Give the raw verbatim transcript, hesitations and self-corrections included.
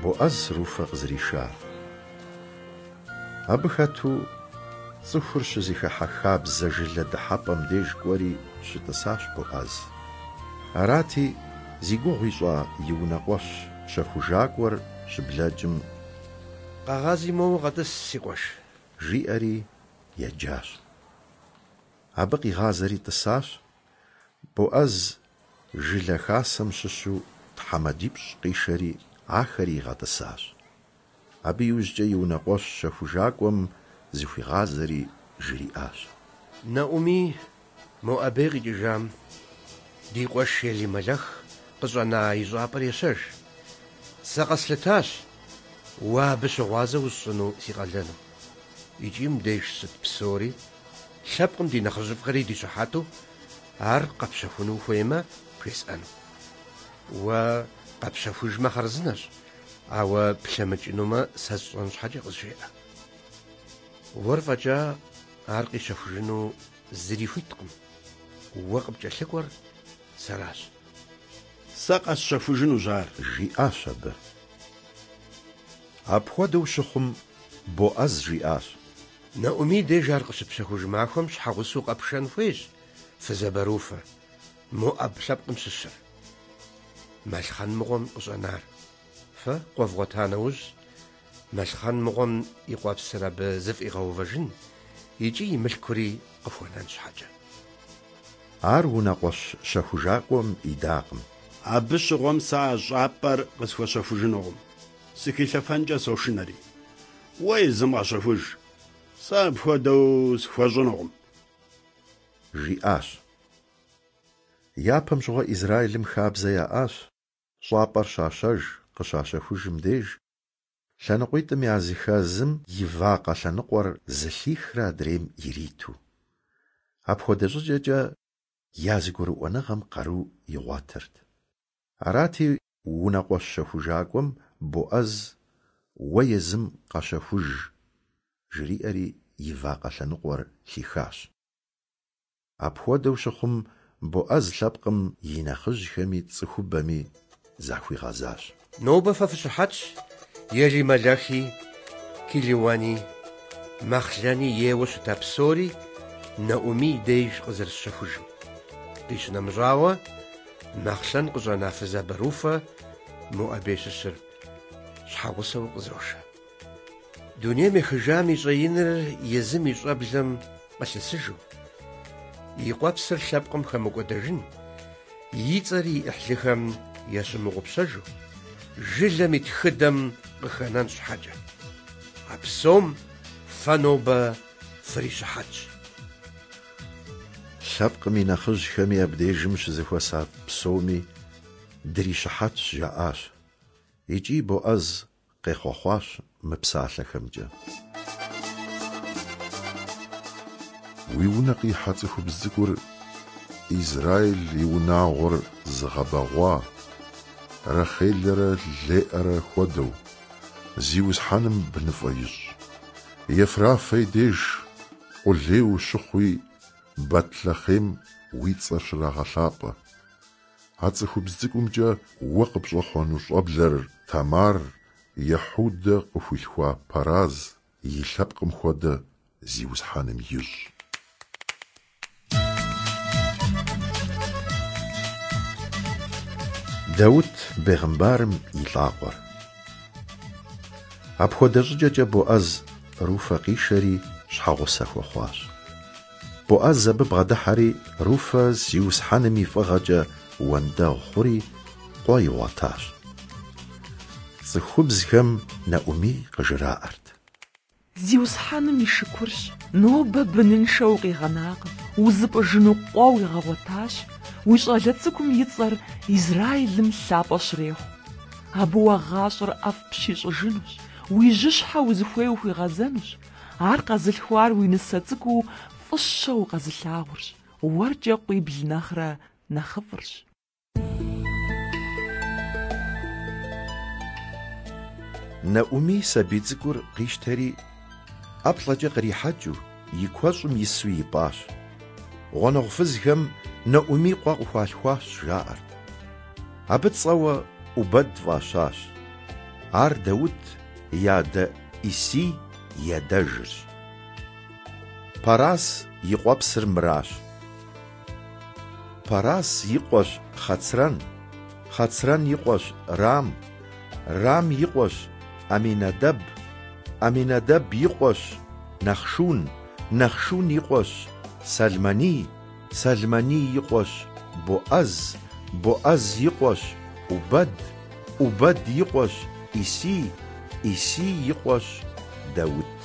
Боӏэз Руфэ къызэришар. Абы хэту цӏыхур щызэхыхьэ хабзэ жылэ дыхьэпӏэм деж кӏуэри щытӏысащ Боӏэз. Арати, зи гугъу ищӏа и унэкъуэщ щэхужакӏуэр щыблэкӏым: «Къэгъази моуэ къэтӏыс, си къуэш», – жиӏэри еджащ. Абы къигъазэри тӏысащ. Боӏэз жылэ хасэм щыщу тхьэмадипщӏ къишэри ахэри игъэтӏысащ. Абы иужькӏэ и унэкъуэщ щэхужакӏуэм зыхуигъазэри жриӏащ: «Нэӏумий Моӏэбей къикӏыжам ди къуэш Елимэлэх къыщӏэна и щӏапӏэр ещэж. Сэ къэслъытащ уэ абы щыгъуазэ усщӏыну си къалэну. Икӏи мыбдеж щыт псори, лъэпкъым ди нэхъыжьыфӏхэри ди щыхьэту, ар къэпщэхуну ухуеймэ, бжесӏэну. Уэ къэпщэхужмэ хъарзынэщ, ауэ плъэмыкӏынумэ, сэ сщӏэн щхьэкӏэ къызжеӏэ. Уэр фӏэкӏа ар къищэхужыну зыри хуиткъым. Уэ къыпкӏэлъыкӏуэр сэращ». «Сэ къэсщэхужынущ ар», – жиӏащ абы. Апхуэдэу щыхъум, Боӏэз жиӏащ: «Нэӏумий деж ар къыщыпщэхуж махуэм щхьэгъусэу къэпшэн хуейщ фызабэ Руфэ, Моӏэб лъэпкъым щыщыр, Мэлхъэн мыгъуэм къыщӏэнар. Фэ къуэ вгъуэта нэужь, Мэлхъэн мыгъуэм и къуэпсыр абы зыфӏигъэувэжын икӏи и мылъкури къыхуэнэн щхьэкӏэ». Ар унэкъуэщ щэхужакӏуэм идакъым. «Абы щыгъуэм сэ а щӏапӏэр къысхуэщэхужынукъым, сыхилъэфэнкӏэ сошынэри. Уэ езым къэщэхуж, сэ апхуэдэу схуэщӏынукъым», – жиӏащ. Япэм щыгъуэ Израилым хабзэ яӏащ щӏапӏэр щащэж, къыщащэхужым деж лъэныкъуитӏым языхэзым и вакъэ лъэныкъуэр зылъихрэ адрейм ириту. Апхуэдэ щӏыкӏэкӏэ я зэгурыӏуэныгъэм къару игъуэтырт. Арати, унэкъуэщ щэхужакӏуэм Боӏэз «Уэ езым къэщэхуж», жриӏэри и вакъэ лъэныкъуэр лъихащ. Апхуэдэу щыхъум, Боӏэз лъэпкъым и нэхъыжьхэми цӏыхубэми захуигъэзащ: «Нобэ фэ фыщыхьэтщ Елимэлэхи, Килиуэни, Мэхълэни ейуэ щыта псори Нэӏумий деж къызэрысщэхужым. Къищынэмыщӏауэ, Мэхълэн къыщӏэна фызабэ Руфэ Моӏэбей щыщыр щхьэгъусэу къызошэ. Дунейм ехыжам и щӏэиныр езым и щӏэблэм къылъысыжу, и къуэпсыр лъэпкъым хэмыкӏуэдэжын, и цӏэри и ӏыхьлыхэм ящымыгъупщэжу, жылэм и тхыдэм къыхэнэн щхьэкӏэ. А псом фэ нобэ фрищыхьэтщ». Лъэпкъым и нэхъыжьхэми абдежым щызэхуэса псоми дрищыхьэтщ жаӏащ. Икӏи Боӏэз къехъуэхъуащ мы псалъэхэмкӏэ: «Уи унэ къихьэ цӏыхубз цӏыкӏур Израил и унагъуэр зыгъэбэгъуа Рахелэрэ Леӏэрэ хуэдэу, Зиусхьэным быныфӏэ ищӏ. Ефрафэ и деж къулей ущыхъуи, Бэтлъэхъем уи цӏэр щрагъэлъапӏэ. А цӏыхубз цӏыкӏумкӏэ уэ къыпщӏэхъуэну щӏэблэр Тамар Ехьудэ къыхуилъхуа Пэраз и лъэпкъым хуэдэ Зиусхьэным ищӏ». Даут бегъымбарым и лӏакъуэр. Апхуэдэ щӏыкӏэкӏэ Боӏэз Руфэ къишэри щхьэгъусэ хуэхъуащ. Боӏэз абы бгъэдыхьэри Руфэ Зиусхьэным и фӏыгъэкӏэ уэндэгъу хъури къуэ игъуэтащ. Цӏыхубзхэм Нэӏумий къыжраӏэрт: «Зиусхьэным и шыкурщ, нобэ быныншэ укъигъэнакъым, узыпӏыжыну къуэ уигъэгъуэтащ, уи щӏалэ цӏыкӏум и цӏэр Израилым лъапӏэ щрехъу. Абы уэ гъащӏэр ӏэфӏ пщищӏыжынущ, уи жьыщхьэ узыхуей ухуигъэзэнущ. Ар къэзылъхуар уи нысэ цӏыкӏуу фӏыщэу укъэзылъагъурщ, уэркӏэ къуибл нэхърэ нэхъыфӏырщ». Нэӏумий сабий цӏыкӏур къищтэри ӏэплӏэкӏэ кърихьэкӏыу и куэщӏым ису ипӏащ. Гъунэгъу фызхэм Нэӏумий къуэ къыхуалъхуащ, жаӏэрт. Абы цӏэуэ ӏубэд фӏащащ. Ар Даут и адэ Исий и адэжырщ. Парас и къуэпсыр мыращ. Парас и къуэщ Хъэцрэн, Хъэцрэн и къуэщ Рам, Рам и къуэщ Аминадэб, Аминадэб и къуэщ Нахшун, Нахшун и къуэщ Сэлмэний, Сэлмэний и къуэщ Боӏэз, Боӏэз и къуэщ Убэд, Убэд и къуэщ Исий, Исий и къуэщ Даут.